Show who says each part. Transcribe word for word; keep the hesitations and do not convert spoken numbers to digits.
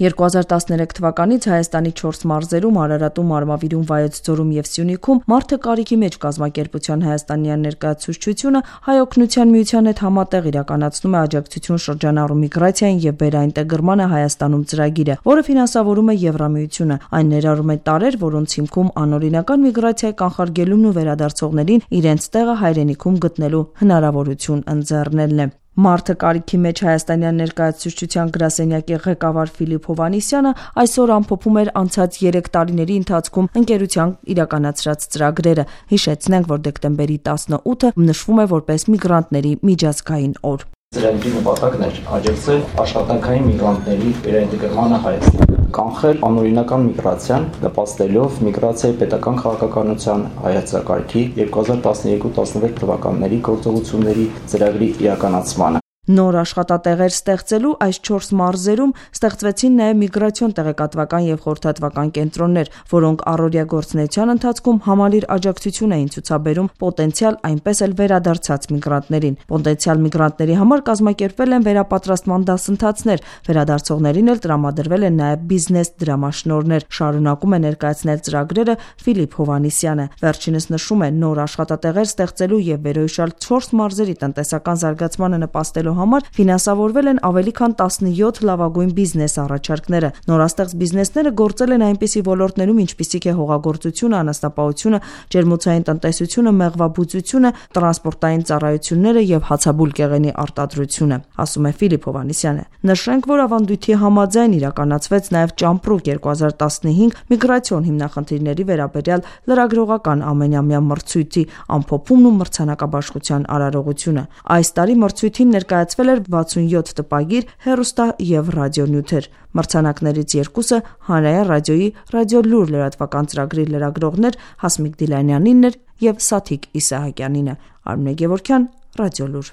Speaker 1: երկու հազար տասներեք թվականից Հայաստանի չորս մարզերում Արարատում, Արմավիրում, Վայոց ձորում և Սյունիքում «Մարդը կարիքի մեջ» կազմակերպության հայաստանյան ներկայացուցչությունը Հայ օգնության միության հետ համատեղ իրականացնում է աջակցություն շրջանառու միգրացիային և վերաինտեգրմանը Հայաստանում ծրագիրը, որը ֆինանսավորում է Եվրամիությունը։ Այն ներառում է տարրեր, որոնց հիմքում անօրինական միգրացիայի կանխարգելումն ու վերադարձողներին իրենց տեղը հայրենիքում գտնելու հնարավորություն ընձեռնելն է։ «Մարդը կարիքի մեջ» հայաստանյան ներկայացուցչության գրասենյակի ղեկավար Ֆիլիպ Հովհաննիսյանը այսօր ամփոփում էր անցած երեք տարիների ընթացքում ընկերության իրականացրած ծրագրերը։ Հիշեցնենք, որ դեկտեմբերի տասնութը նշվում է որպես միգրանտների միջազգային օր։
Speaker 2: Ծրագրի նպատակն էր աջակցել աշխատանքային միգրանտների վերաինտեգրմանը Հայաստան, կանխել անօրինական միգրացիան, նպաստելով միգրացիայի պետական քաղաքականության հայեցակարգի երկու հազար տասներեք տասնվեց թվականների գործողությունների ծրագրի իրականացմանը։
Speaker 1: Նոր աշխատատեղեր ստեղծելու այս չորս մարզերում ստեղծվեցին նաև միգրացիոն տեղեկատվական և խորհրդատվական կենտրոններ, որոնք առօրյա գործունեության ընթացքում համալիր աջակցություն էին ցուցաբերում պոտենցիալ, այնպես էլ վերադարձած միգրանտներին։ Պոտենցիալ միգրանտների համար կազմակերպվել են վերապատրաստման դասընթացներ, վերադարձողներին էլ տրամադրվել են նաև բիզնես դրամաշնորհներ, շարունակում է ներկայացնել ծրագրերը Ֆիլիպ Հովհաննիսյանը։ Վերջինս նշում է, նոր աշխատատեղեր ստեղծելու և վերոհիշյալ չորս մարզերի տնտեսական զարգացմանը նպաստելու համար ֆինանսավորվել են ավելի քան տասնյոթ լավագույն բիզնես առաջարկները։ Նորաստեղծ բիզնեսները գործել են այնպիսի ոլորտներում, ինչպիսիք է հողագործությունը, անասնապահությունը, ջերմոցային տնտեսությունը, մեղվաբուծությունը, տրանսպորտային ծառայությունները և հացաբուլկեղենի արտադրությունը, ասում է Ֆիլիպ Հովհաննիսյանը։ Նշենք, որ ավանդույթի համաձայն իրականացվեց նաև Ճամպրուկ երկու հազար տասնհինգ միգրացիոն հիմնախնդիրների վերաբերյալ լրագրողական ամենամյա մրցույթի ամփոփումն ու մրցանակաբաշխության արարողությունը։ Այս տարի մրցույթին ներկայացվել էր վաթսունյոթ տպագիր, հեռուստա և ռադիոնյութեր։ Մրցանակներից երկուսը Հանրային ռադիոյի «Ռադիոլուր» լրատվական ծրագրի լրագրողներ Հասմիկ Դիլանյանինն էր և Սաթիկ Իսահակյանինը։ Արմինե Գևորգյան, Ռադիոլուր։